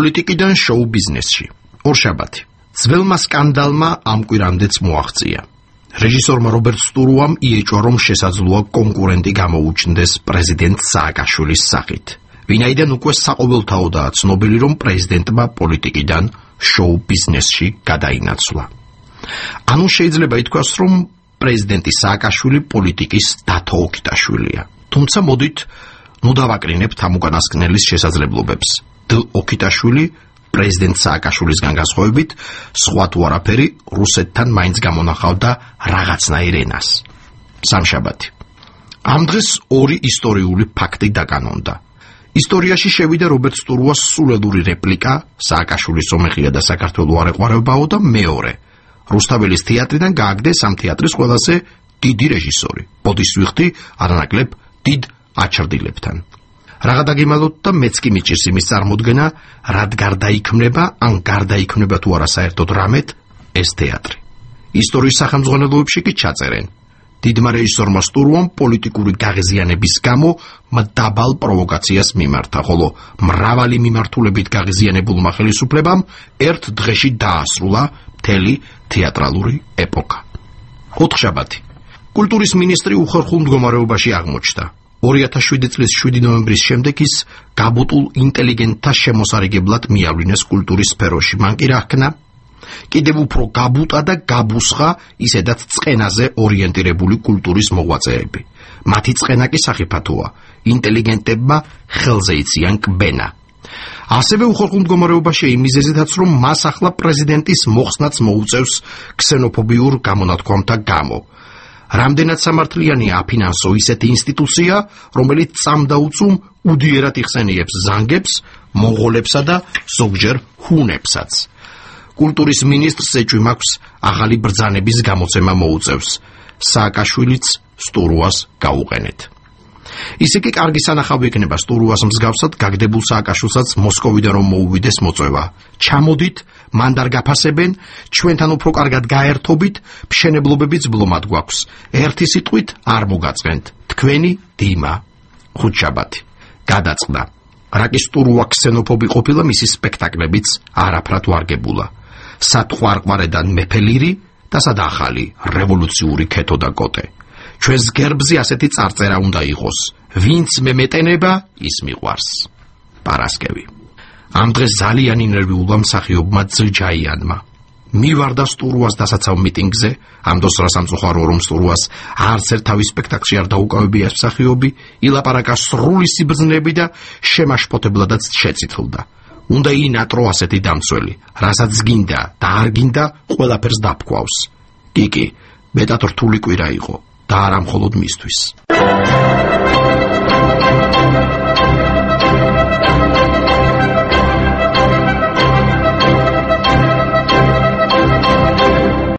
პოლიტიკიდან შოუ ბიზნესში. ორშაბათი. ძველმა სკანდალმა ამ კვირამდეც მოაღწია. რეჟისორმა რობერტ სტურუამ იეჭვა, რომ შესაძლოა კონკურენტი გამოუჩნდეს პრეზიდენტ სააკაშვილის სახით. ვინაიდან უკვე საყოველთაოდაა ცნობილი, რომ პრეზიდენტმა პოლიტიკიდან შოუ ბიზნესში გადაინაცვლა. ანუ შეიძლება ითქვას, რომ პრეზიდენტი სააკაშვილი პოლიტიკის დათო ოქიტაშვილია. თუმცა მოდით დავაკრინებთ ამ უკანასკნელის შესაძლებლობებს. ოქიტაშვილი პრეზიდენტ სააკაშვილისგან განსხვავებით, სხვა თუ არაფერი რუსეთთან მაინც გამონახავდა რაღაცნაირ ენას. სამშაბათი. ამ დღეს ორი ისტორიული ფაქტი დაკანონდა. ისტორიაში შევიდა რობერტ სტურუას სულელური რეპლიკა „სააკაშვილის ომეხია და საქართველო არ ეყვარებაო“ და მეორე, რუსთაველის თეატრიდან გააგდეს ამ თეატრის ყველაზე დიდი რეჟისორი. ბოდის ვიხდი არანაკლებ დიდ აჩრდილებთან. რაღა დაგიმალოთ და მეც კი მიჭირს იმის წარმოდგენა, რად გარდაიქმნება, ან გარდაიქმნება თუ არა საერთოდ რამეთ ეს თეატრი. ისტორიის სახელმძღვანელოებში კი ჩაწერენ. დიდმა რეჟისორმა სტურუამ პოლიტიკური გაღიზიანების გამო მდაბალ პროვოკაციას მიმართა, ხოლო მრავალი მიმართულებით გაღიზიანებულმა ხელისუფლებამ ერთ დღეში დაასრულა მთელი თეატრალური ეპოქა. ოთხშაბათი. კულტურის მინისტრი უხერხულ მდგომარეობაში აღმოჩნდა. 2007 წლის 7 ნოემბრის შემდეგ ის გაბუტულ ინტელიგენტთა შემოსარიგებლად მიავლინეს კულტურის სფეროში. მან კი რა ჰქნა? კიდევ უფრო გაბუტა და გაბუსხა ისედაც წყენაზე ორიენტირებული კულტურის მოღვაწეები. მათი წყენა კი სახიფათოა. ინტელიგენტებმა ხელზე იციან კბენა. ასევე უხერხულ მდგომარეობაში იმ მიზეზითაც, რომ მას ახლა პრეზიდენტის მოხსნაც მოუწევს ქსენოფობიურ გამონათქვამთა გამო. რამდენად სამართლიანია აფინანსო ისეთი ინსტიტუცია, რომელიც წამდაუწუმ უდიერად იხსენიებს ზანგებს, მონღოლებსა და ზოგჯერ ჰუნებსაც. კულტურის მინისტრს ეჭვი მაქვს ახალი ბრძანების გამოცემა მოუწევს. სააკაშვილიც სტურუას გაუყენეთ. ისე კი კარგი სანახავი იქნება სტურუას მსგავსად გაგდებულ სააკაშვილსაც მოსკოვიდან რომ მოუვიდეს მოწვევა. ჩამოდით, მან დარგაფასებენ, ჩვენთან უფრო კარგად გაერთობით, მშენებლობებიც ბლომად გვაქვს. ერთი სიტყვით არ მოგაწყენთ. თქვენი დიმა. ხუთშაბათი. გადაწყდა. რაკი სტურუა ქსენოფობი ყოფილა, მისი სპექტაკლებიც არაფრად ვარგებულა. სათყვარყვარედან მეფელირი და სადახალი რევოლუციური ქეთო და კოტე. ჩვენს გერბზე ასეთი წარწერა უნდა იყოს. ვინც მემეტენება, ის მიყვარს. პარასკევი. ამ დღეს ძალიან ინერვიულა მსახიობმა ძრჯაიანმა. მივარდა სტურუას დასაცავ მიტინგზე, ამ დროს რა სამწუხარო რომ სტურუას არც ერთ თავის სპექტაკლში არ დაუკავებია მსახიობი, ილაპარაკა სრული სიბრძნეები და შემაშფოთებლადაც შეწითლდა. უნდა ინატრო ასეთი დამცველი, რასაც გინდა და არ გინდა, ყველაფერს დაფქვავს. კი, მეტად რთული კვირა იყო და არა მხოლოდ მისთვის.